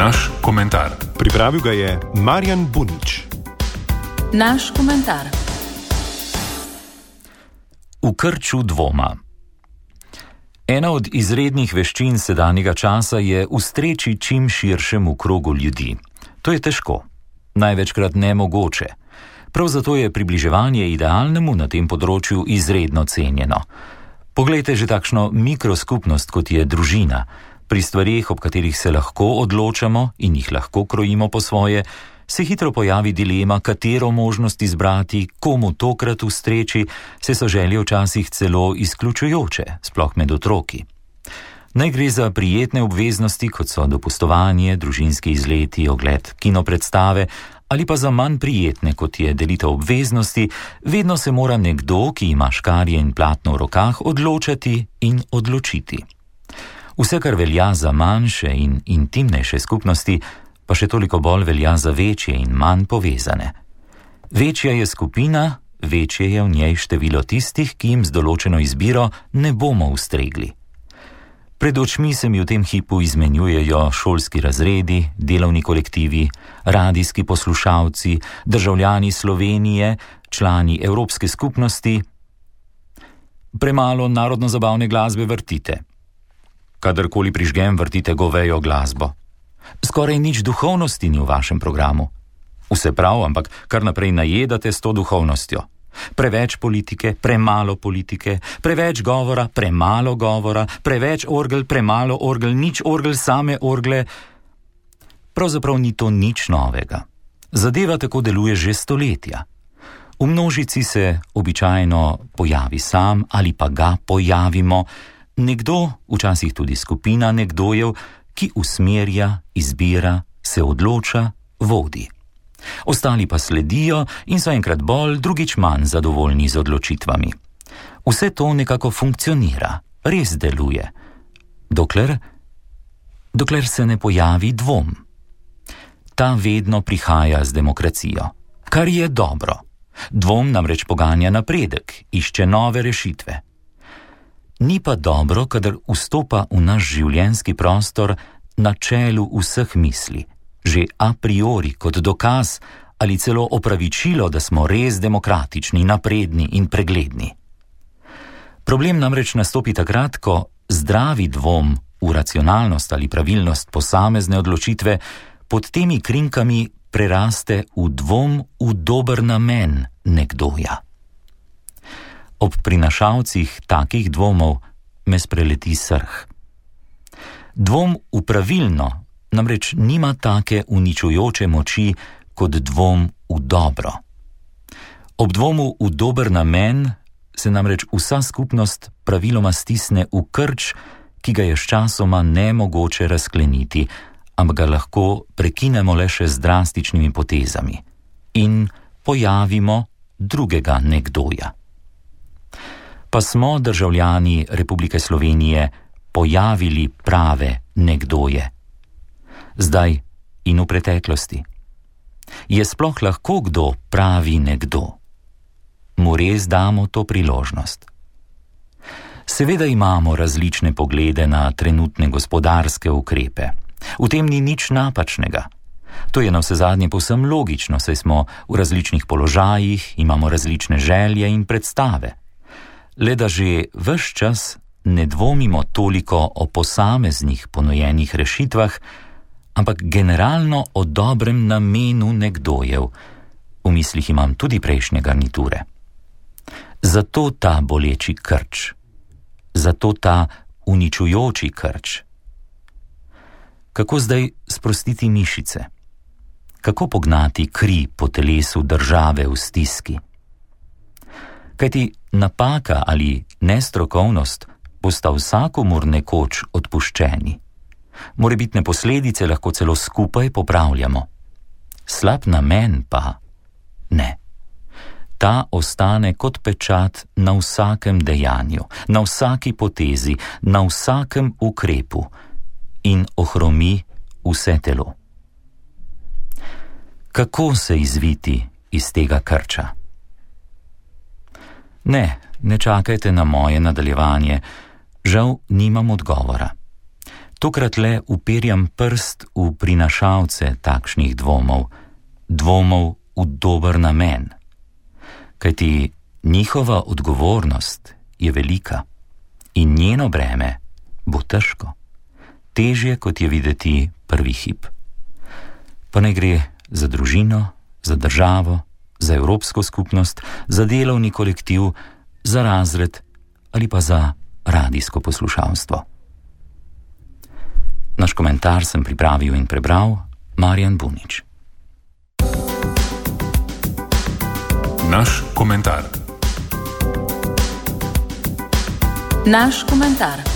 Naš komentar. Pripravil ga je Marjan Bunič. Naš komentar. V krču dvoma. Ena od izrednih veščin sedanjega časa je ustreči čim širšemu krogu ljudi. To je težko, največkrat nemogoče. Prav zato je približevanje idealnemu na tem področju izredno cenjeno. Poglejte že takšno mikroskupnost, kot je družina. Pri stvareh, ob katerih se lahko odločamo in jih lahko krojimo po svoje, se hitro pojavi dilema, katero možnost izbrati, komu tokrat ustreči, se so želje včasih celo izključujoče, sploh med otroki. Naj gre za prijetne obveznosti, kot so dopustovanje, družinski izleti, ogled kinopredstave, ali pa za manj prijetne, kot je delitev obveznosti, vedno se mora nekdo, ki ima škarje in platno v rokah, odločati in odločiti. Vse, kar velja za manjše in intimnejše skupnosti, pa še toliko bolj velja za večje in manj povezane. Večja je skupina, večje je v njej število tistih, ki jim z določeno izbiro ne bomo ustregli. Pred očmi se mi v tem hipu izmenjujejo šolski razredi, delovni kolektivi, radijski poslušalci, državljani Slovenije, člani Evropske skupnosti. Premalo narodno-zabavne glasbe vrtite. Kadarkoli prižgem, vrtite govejo glasbo. Skoraj nič duhovnosti ni v vašem programu. Vse prav, ampak kar naprej najedate s to duhovnostjo. Preveč politike, premalo politike, preveč govora, premalo govora, preveč orgel, premalo orgel, nič orgel, same orgle. Pravzaprav ni to nič novega. Zadeva tako deluje že stoletja. V množici se običajno pojavi sam ali pa ga pojavimo, nekdo, včasih tudi skupina nekdojev, ki usmerja, izbira, se odloča, vodi. Ostali pa sledijo in so enkrat bolj, drugič manj zadovoljni z odločitvami. Vse to nekako funkcionira, res deluje. Dokler se ne pojavi dvom. Ta vedno prihaja z demokracijo, kar je dobro. Dvom namreč poganja napredek, išče nove rešitve. Ni pa dobro, kadar vstopa v naš življenjski prostor na čelu vseh misli, že a priori kot dokaz ali celo opravičilo, da smo res demokratični, napredni in pregledni. Problem namreč nastopi takrat, ko zdravi dvom v racionalnost ali pravilnost posamezne odločitve pod temi krinkami preraste v dvom v dober namen nekdoja. Ob prinašalcih takih dvomov me spreleti srh. Dvom v pravilno namreč nima take uničujoče moči kot dvom v dobro. Ob dvomu v dober namen se namreč vsa skupnost praviloma stisne v krč, ki ga je sčasoma nemogoče razkleniti, ampak ga lahko prekinemo le še z drastičnimi potezami in pojavimo drugega nekdoja. Pa smo državljani Republike Slovenije pojavili prave nekdoje. Zdaj in v preteklosti. Je sploh lahko kdo pravi nekdo? Mu res damo to priložnost? Seveda imamo različne poglede na trenutne gospodarske ukrepe. V tem ni nič napačnega. To je navsezadnje povsem logično, saj smo v različnih položajih, imamo različne želje in predstave. Le da že ves čas ne dvomimo toliko o posameznih ponujenih rešitvah, ampak generalno o dobrem namenu nekdojev. V mislih imam tudi prejšnje garniture. Zato ta boleči krč. Zato ta uničujoči krč. Kako zdaj sprostiti mišice? Kako pognati kri po telesu države v stiski? Kajti napaka ali nestrokovnost bosta vsakomur nekoč odpuščeni. Morebitne posledice lahko celo skupaj popravljamo. Slab namen pa ne. Ta ostane kot pečat na vsakem dejanju, na vsaki potezi, na vsakem ukrepu in ohromi vse telo. Kako se izviti iz tega krča? Ne čakajte na moje nadaljevanje, žal nimam odgovora. Tokrat le uperjam prst v prinašalce takšnih dvomov v dober namen. Kajti njihova odgovornost je velika in njeno breme bo težko, težje kot je videti prvi hip. Pa ne gre za družino, za državo, za evropsko skupnost, za delovni kolektiv, za razred ali pa za radijsko poslušalstvo. Naš komentar sem pripravil in prebral Marjan Bunič. Naš komentar. Naš komentar.